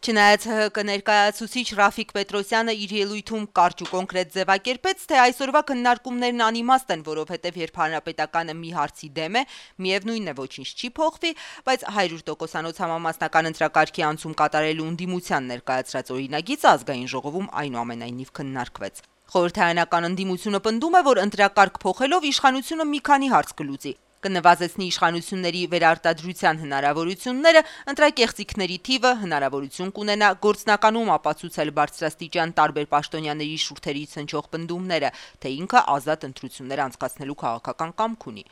Չնայած ՀՀԿ ներկայացուցիչ Ռաֆիկ Պետրոսյանը իր ելույթում կարճ ու կոնկրետ ձևակերպեց, թե այսօրվա քննարկումներն անիմաստ են, որովհետև երբ հանրապետականը մի հարցի դեմ է, միևնույնն է ոչինչ չի փոխվի, բայց 100% համամասնական ընտրակարգի անցում կատարելու ընդդիմության ներկայացրած օրինագիծը ազգային ժողովում այնուամենայնիվ քննարկվեց։ Խորհրդարանական ընդդիմությունը պնդում է, որ ընտրակարգ փոխելով իշխանությունը մի քանի հարց կլուծի։ Կնվազեցնի իշխանությունների վերարտադրության հնարավորությունները, ընտրակեղծիքների թիվը, հնարավորություն կունենա գործնականում ապացուցել բարձրաստիճան տարբեր պաշտոնյաների շուրթերից հնչող պնդումները, թե ինքը ազատ ընտրություններ անցկացնելու քաղաքական կամք ունի։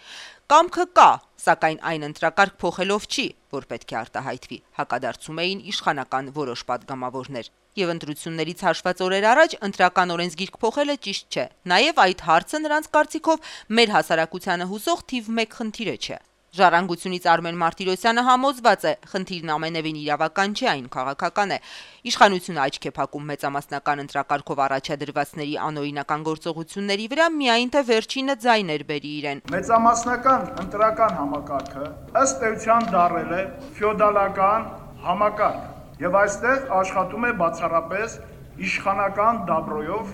Կամքը կա, սակայն այն ընտրակարգ փոխելով չի, որ պետք է արտահայտվի, հակադարձում էին իշխանական որոշ պատգամավորներ։ Եվ ընտրություններից հաշված օրեր առաջ ընտրական օրենսգիրք փոխելը ճիշտ չէ։ Նաև այդ հարցը նրանց կարծիքով մեր հասարակությանը հուսող թիվ 1 խնդիրը չէ։ Ժառանգությունից Արմեն Մարտիրոսյանը համոզված է, խնդիրն ամենևին իրավական չէ, այն քաղաքական է։ Իշխանությունը աչք է փակում մեծամասնական ընտրակարգով առաջադրվածների անօրինական գործողությունների վրա, միայն թե վերջինը ձայներ բերի իրեն։ Մեծամասնական ընտրական համակարգը ըստ էության դառել է ֆեոդալական համակարգ, եւ այստեղ աշխատում է բացառապես իշխանական դաբրոյով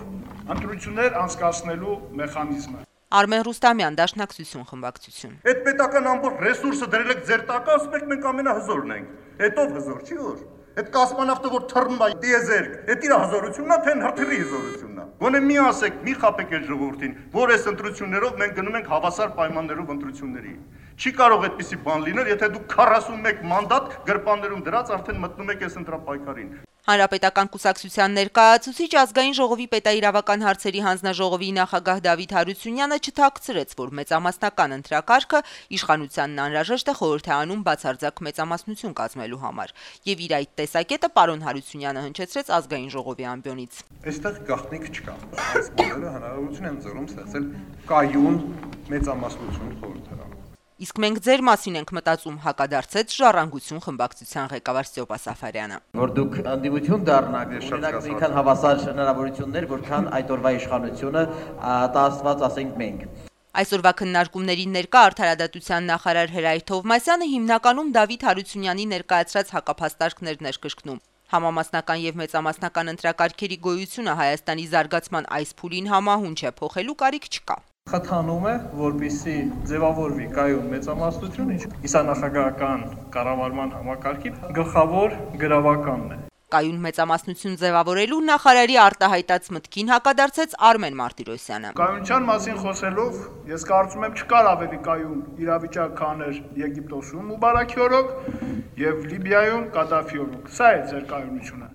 ընտրություններ անցկացնելու մեխանիզմը։ Արմեն Ռուստամյան, Դաշնակցություն խմբակցություն։ Այդ պետական ամբողջ ռեսուրսը դրել եք ձեր տակը, ասում եք մենք ամենահզորն ենք։ Հետո հզոր չի որ։ Այդ կոսմոնավտը որ թռնում է դիեզերք, այդ իր հզորությունն է, թե հրթիռի հզորությունն է։ Գոնե մի ասեք, մի խաբեք այդ ժողովրդին, որ այս ընտրություններով մենք գնում ենք հավասար պայմաններով ընտրությունների։ Չի կարող այդպիսի բան լինել, եթե դուք 41 մանդատ գրպաններում դրած արդեն մտնում եք այս ընտրապայքարին։ Հանրապետական կուսակցության ներկայացուցիչ ազգային ժողովի պետաիրավական հարցերի հանձնաժողովի նախագահ Դավիթ Հարությունյանը չթաքցրեց, որ մեծամասնական ընտրակարգը իշխանությանն անհրաժեշտ է խորհրդարանում բացարձակ մեծամասնություն կազմելու համար։ Եվ իր այդ տեսակետը պարոն Հարությունյանը հնչեցրեց ազգային ժողովի ամբիոնից։ Այստեղ գաղտնիք չկա։ Այս բոլորը հնարավորություն են ձեռում ստեղծել կայուն մեծամասնություն խորհրդարանում։ Իսկ մենք ձեր մասին ենք մտածում, հակադարձեց Ժառանգություն խմբակցության ղեկավար Ստեփան Սաֆարյանը։ Որ դուք ընդդիմություն դառնաք, ունենաք այնքան հավասար հնարավորություններ, որքան այդ օրվա իշխանությունը տասված ասենք մենք։ Այսօրվա քննարկումներին ներկա Արդարադատության նախարար Հրայր Թովմասյանը հիմնականում Դավիթ Հարությունյանի ներկայացրած հակափաստարկներն էր կրկնում։ Համամասնական եւ մեծամասնական ընտրակարգերի գոյությունը Հայաստանի զարգացման այս փուլին համահունչ է, փոխելու կարիք չկա։ Խթանում է, որպեսզի ձևավորվի կայուն մեծամասնություն, ինչը նախագահական կառավարման համակարգի գլխավոր գրավականն է։ Կայուն մեծամասնություն ձևավորելու նախարարի արտահայտած մտքին հակադարձեց Արմեն Մարտիրոսյանը։ Կայունության մասին խոսելով, ես կարծում եմ չկար ավելի կայուն իրավիճակ, քան էր Եգիպտոսում Մուբարաքի օրոք եւ Լիբիայում Կադաֆի օրոք։ Սա է ձեր կայունությունը։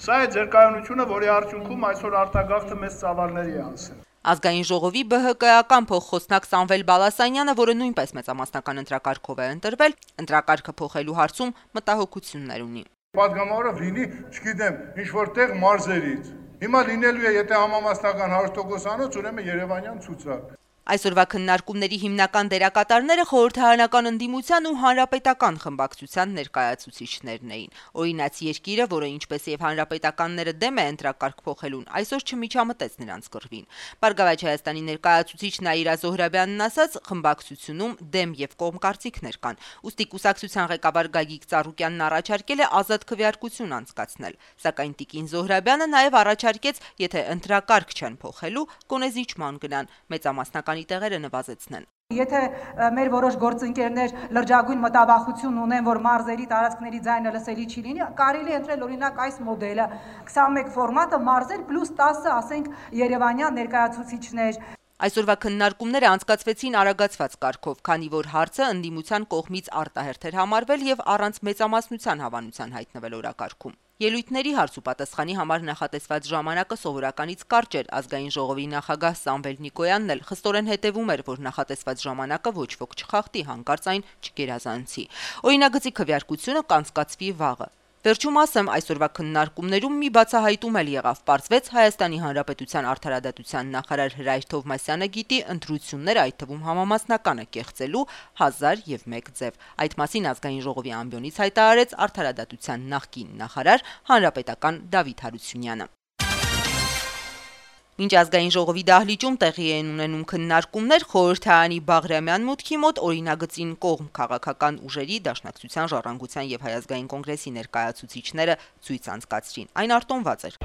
Սա է ձեր կայունությունը, որի արդյունքում այսօր արտագաղթը մեծ ծավալների է անցել։ Ազգային ժողովի ԲՀԿ-ական փոխխոսնակ Սամվել Բալասանյանը, որը նույնպես մեծամասնական ընտրակարգով է ընտրվել, ընտրակարգը փոխելու հարցում մտահոգություններ ունի։ Պատգամավորը լինի, չգիտեմ, ինչ-որտեղ մարզերից։ Հիմա լինելու է, եթե համամասնական 100%-անոց, ուրեմն Երևանյան ցուցակ։ Այսօրվա քննարկումների հիմնական դերակատարները խորհրդարանական ընդդիմության ու հանրապետական խմբակցության ներկայացուցիչներն էին։ Օրինաց երկիրը, որը ինչպես եւ հանրապետականները դեմ է ընտրակարգ փոխելուն, այսօր չմիջամտեց նրանց կռվին։ Բարգավաճ Հայաստանի ներկայացուցիչ Նաիրա Զոհրաբյանն ասաց, խմբակցությունում դեմ եւ կողմ կարծիքներ կան։ Ուստի կուսակցության ղեկավար Գագիկ Ծառուկյանն առաջարկել է ազատ քվեարկություն անցկացնել, սակայն Տիկին Զոհրաբյանը նաեւ առաջարկեց, եթե ընտրակարգ չեն փոխելու, կոնեզիջման գնան, մեծամասնական տեղերը նվազեցնեն։ Եթե մեր որոշ գործընկերներ լրջագույն մտավախություն ունեն, որ մարզերի տարածքների ձայնը լսելի չի լինի, կարելի է ընտրել օրինակ այս մոդելը 21 ֆորմատը մարզեր պլյուս 10, ասենք, երևանյան ներկայացուցիչներ։ Այսօրվա քննարկումները անցկացվեցին արագացված կարգով, քանի որ հարցը ընդդիմության կողմից արտահերթ էր համարվել եւ առանց մեծամասնության հավանության հայտնվել օրակարգում։ Ելույթների հարց ու պատասխանի համար նախատեսված ժամանակը սովորականից կարճ էր, ազգային ժողովի նախագահ Սամվել Նիկոյանն էլ խստորեն հետևում էր, որ նախատեսված ժամանակը ոչ ոք չխախտի, հանկարծ այն չգերազանցի։ Օրինագծի քվեարկությունը կանցկացվի վաղը։ Վերջում ասեմ, այսօրվա քննարկումներում մի բացահայտում էլ եղավ, պարզվեց Հայաստանի Հանրապետության Արդարադատության նախարար Հրայր Թովմասյանը գիտի ընտրություններ, այդ թվում համամասնականը կեղծելու 1001 ձև։ Այդ մասին ազգային ժողովի ամբիոնից հայտարարեց Արդարադատության նախկին նախարար հանրապետական Դավիթ Հարությունյանը։ Ինչ ազգային ժողովի դահլիճում տեղի են ունենում քննարկումներ, խորհրդարանի Բաղրամյան մուտքի մոտ օրինագծին կողմ քաղաքական ուժերի, Դաշնակցության, Ժառանգության եւ Հայ ազգային կոնգրեսի ներկայացուցիչները ցույց անցկացրին։ Այն արտոնված էր։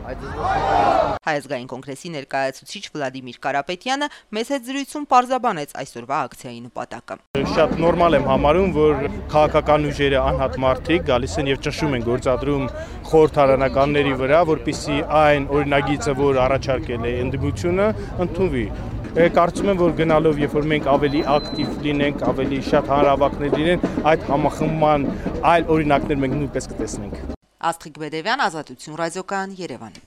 Հայ ազգային կոնգրեսի ներկայացուցիչ Վլադիմիր Կարապետյանը մեծ հետ զրույցում պարզաբանեց այսօրվա ակցիայի նպատակը։ Շատ նորմալ եմ համարում, որ քաղաքական ուժերը անհատ մարդիկ գալիս են եւ ճնշում են գործադրում խորհրդարանականների վրա, որպեսզի այն օրինագիծը, որ առաջարկել է ընդդիմությունը, ընդունվի։ Կարծում եմ, որ գնալով, երբ որ մենք ավելի ակտիվ լինենք, ավելի շատ հանրահավաքներ լինեն, այդ համախմբման այլ օրինակներ մենք նույնպես կտեսնենք։ Աստղիկ Բեդևյան, Ազատություն ռադիոկայան, Երևան։